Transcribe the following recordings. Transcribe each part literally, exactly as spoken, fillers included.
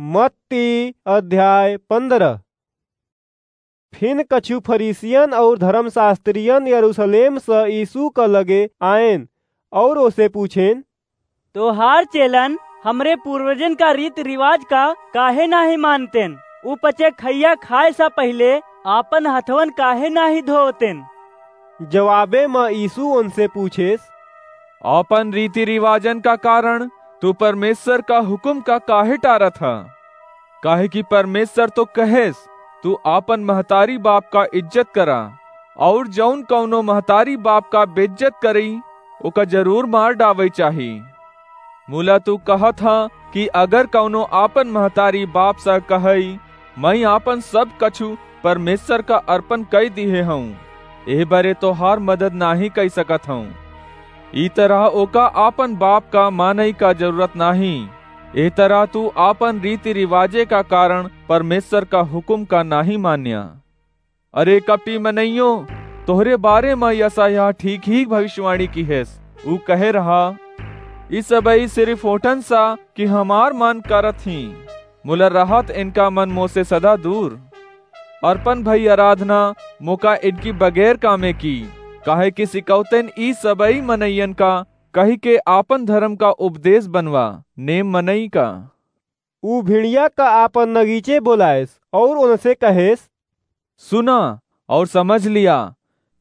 मत्ती अध्याय पन्द्रह। फिन कछु फरीसियन और धर्मशास्त्रियन यरूशलेम स यीशु क लगे आएन और ओसे पूछेन, "तोहार चेलन हमरे पूर्वजन का रीत रिवाज का काहे नाहीं मानतेन? उ पचे खइया खाए स पहिले आपन हथवन काहे नाहीं धोवतेन?" जवाबे म यीशु उनसे पूछेस, "आपन रीति रिवाजन का कारण तू परमेश्वर का हुकुम का काहे टारत ह? काहे कि परमेश्वर तो कहेस, तू आपन महतारी बाप का इज्जत करा, और जौन कौनो महतारी बाप का बेइज्जत करई, ओका जरूर मार डावई चाही। मुला तू कहत ह कि अगर कौनो आपन महतारी बाप स कहई, 'मैं आपन सब कछु परमेश्वर का अर्पण कई दिहे हऊँ, एह बरे तोहार मदद नाहीं कई सकत हऊँ,' ई तरह ओका आपन बाप का मानई का जरूरत नाहीं। एह तरह तू आपन रीति रिवाजे का कारण परमेश्वर का हुकुम का नाहीं मान्या। अरे कपटी मनइयो, तोहरे बारे म यशायाह ठीक ही भविष्यवाणी किहेस। ऊ कहे रहा, 'ई सबई सिर्फ ओठन सा कि हमार मन करत ही, मुला रहत इनका मन मोसे सदा दूर। अर्पण भई आराधना मोका इनकी बगैर कामे की, काहे कि सिकौतेन ई सबई मनइयन का कहि के आपन धर्म का उपदेश बनवा, नेम मनई का।'" ऊ भिड़िया का आपन नगीचे बोलाएस और उनसे कहेस, "सुना और समझ लिया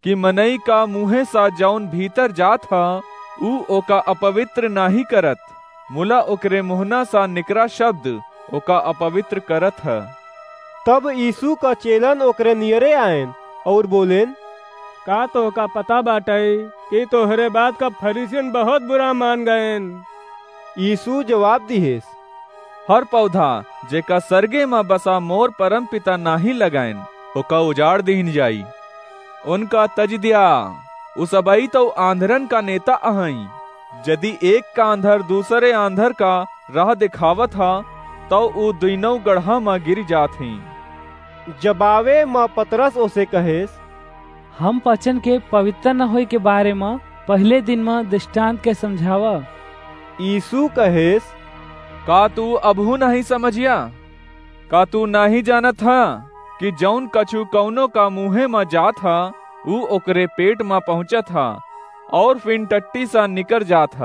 कि मनई का मुँहे सा जौन भीतर जात ह, ऊ ओका अपवित्र नाहीं करत, मुला ओकरे मुहना सा निकरा शब्द ओका अपवित्र करत ह।" तब यीशु का चेलन ओकरे नियरे आएन और बोलेन, "का तोहका पता बाटइ कि तोहरे बात का फरीसियन बहुत बुरा मान गएन?" यीशु जवाब दिहेस, "हर पौधा जेका सरगे म बसा मोर परम पिता नाहीं लगाएन, ओका उजाड़ दीन जाई। उनका तज दिया, उ सबई तउ आंधरन का नेता अहई। जदि एक का आंधर दूसरे आंधर का राह देखावत ह, तउ उ दुइनौ गड़हा म गिर जात ही।" जबावे म पतरस ओसे कहेस, "हम पचन के पवित्र न होए के बारे म पहिले दिन म दृष्टांत के समझावा।" यीशु कहेस, "का तू अबहू नहीं समझिया? का तू नहीं जानत ह कि जौन कछु कौनो का मुँहे म जात ह, ऊ ओकरे पेट म पहुँचत ह और फिन टट्टी सा निकर जात ह?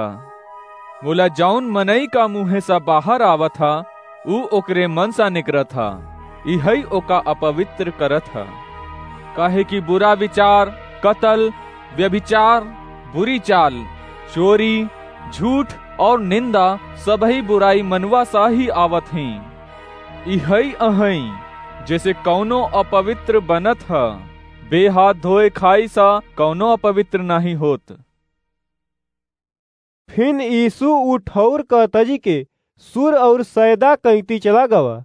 मुला जौन मनई का मुँहे सा बाहर आवत ह, ऊ ओकरे मन सा निकरत ह, इहई ओका अपवित्र करत ह। काहे कि बुरा विचार, कतल, व्यभिचार, बुरी चाल, चोरी, झूठ और निंदा सबही बुराई मनवा सा ही आवत ही। इहई अहई, जेसे कौनो अपवित्र बनत ह, बे हाथ धोए खाई सा कौनो अपवित्र नाहीं होत।" फिन यीशु उ ठौर क तजि के सूर और सैदा कइती चला गवा।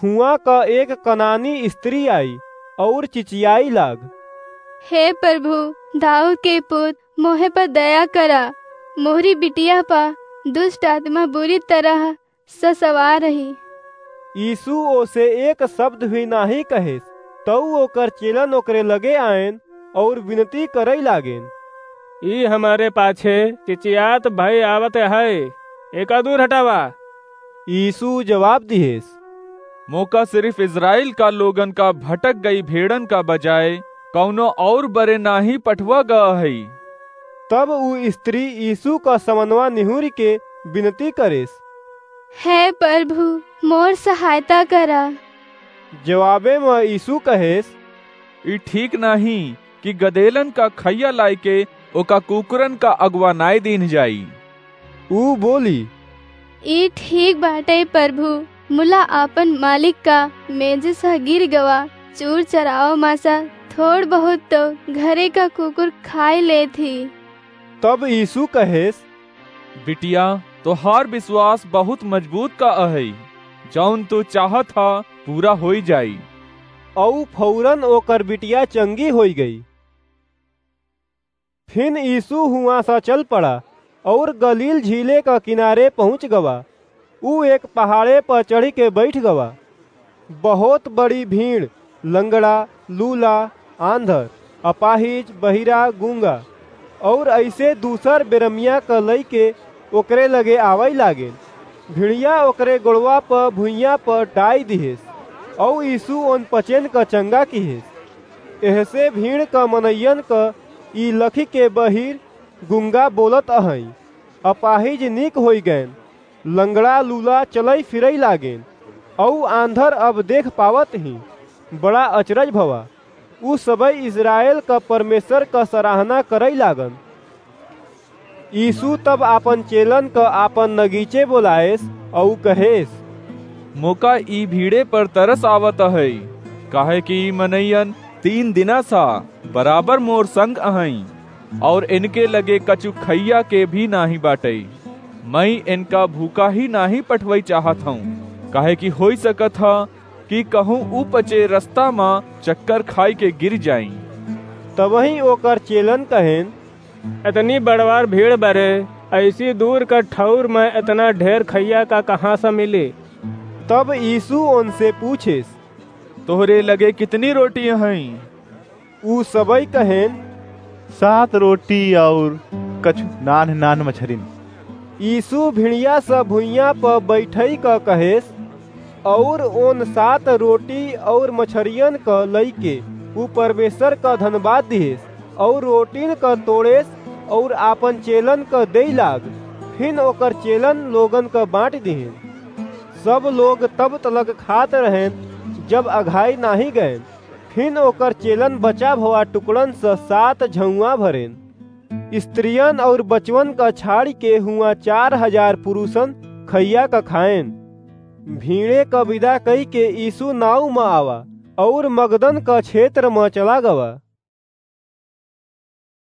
हुआं क एक कनानी स्त्री आई और चिचियाई लाग, "हे प्रभु, दाऊद के पुत, मोहे पर दया करा, मोहरी बिटिया पर दुष्ट आत्मा बुरी तरह स सवार रही।" यीशु ओसे एक शब्द भी नाहीं कहेस। तऊ ओकर चेलन ओकरे लगे आएन और विनती करई लागेन, "ई हमरे पाछे चिचियात भई आवत है, एका दूर हटावा।" यीशु जवाब दिहेस, "मोका सिर्फ इस्राएल का लोगन का भटक गई भेड़न का बजाय कौनो और बरे नाहीं पठवा गवा हई।" तब उ स्त्री यीशु का समनवा निहुरि के विनती करेस, "हे प्रभु, मोर सहायता करा।" जवाबे म यीशु कहेस, "ई ठीक नाहीं कि गदेलन का खइया लाइके ओका कुकुरन का अगुवानाई दीन जाई।" ऊ बोली, "ई ठीक बाटइ प्रभु, मुला आपन मालिक का मेजे सा गिर गवा चूर चरावा मा सा थोड़ बहुत तो घरे का कुकुर खाइ लेत ही।" तब यीशु कहेस, "बिटिया, तोहार विश्वास बहुत मजबूत का अहइ, जौन तू चाहत हा पूरा होई जाई।" अऊ फौरन ओकर बिटिया चंगी होई गई। फिन यीशु हुआं सा चल पड़ा और गलील झीले का किनारे पहुँच गवा। ऊ एक पहाड़े पर चढ़ि के बैठ गवा। बहुत बड़ी भीड़, लंगड़ा, लूला, आंधर, अपाहिज, बहिरा, गूंगा और ऐसे दूसर बेरमिया क लइके ओकरे लगे आवइ लागेन। भिड़िया ओकरे गोड़वा प भुइयां प डाइ दिहेस, अउ यीशु ओन पचेन क चंगा किहेस। एहसे भीड़ क मनइयन क ई लखि के बहिर गुंगा बोलत अहइँ, अपाहिज नीक होइ गएन, लंगड़ा लूला चलइ फिरइ लागेन, अउ आंधर अब देख पावत हीं। बड़ा अचरज भवा। उ सबइ इस्राएल क परमेश्वर क सराहना करइ लागन। यीशु तब आपन चेलन क आपन नगीचे बोलाएस अउ कहेस, मोका ई भीड़े पर तरस आवत अहइ, काहे कि ई मनइयन तीन दिना सा बराबर मोर संग अहइँ, अउर इनके लगे कछु खइया के भी नाहीं बाटइ। मइँ इनका भूखा ही नाहीं पठवइ चाहत हउँ, काहे कि होइ सकत ह कि कहूँ उ पचे रस्ता म चक्कर खाइ के गिर जाइँ। तबहीं ओकर चेलन कहेन, एतनी बड़वार भीड़ बरे, अइसी दूर क ठउर म एतना ढेर खइया का कहाँ स मिली? तब यीशु ओनसे पूछेस, तोहरे लगे कितनी रोटी अहइँ? उ सबइ कहेन, सात रोटी अउर कछु नान्ह नान्ह मछरिन। यीशु भिड़िया स भुइयां प बइठइ क कहेस, अउर ओन सात रोटी अउर मछरियन क लइके उ परमेश्वर क धनबाद दिहेस, अउर रोटिन क तोड़ेस, अउर आपन चेलन क देइ लाग। फिन ओकर चेलन लोगन क बाँट दिहेन। सब लोग तब तलक खात रहेन, जब अघाइ नाहीं गएन। फिन ओकर चेलन बचा भवा टुकड़न स सात झउवाँ भरेन। स्त्रियन अउर बचवन क छाड़िके हुआँ चार हजार पुरुषन खइया क खाएन। भीड़े क बिदा कइके यीशु नाउ म आवा, अउर मगदन क क्षेत्र म चला गवा।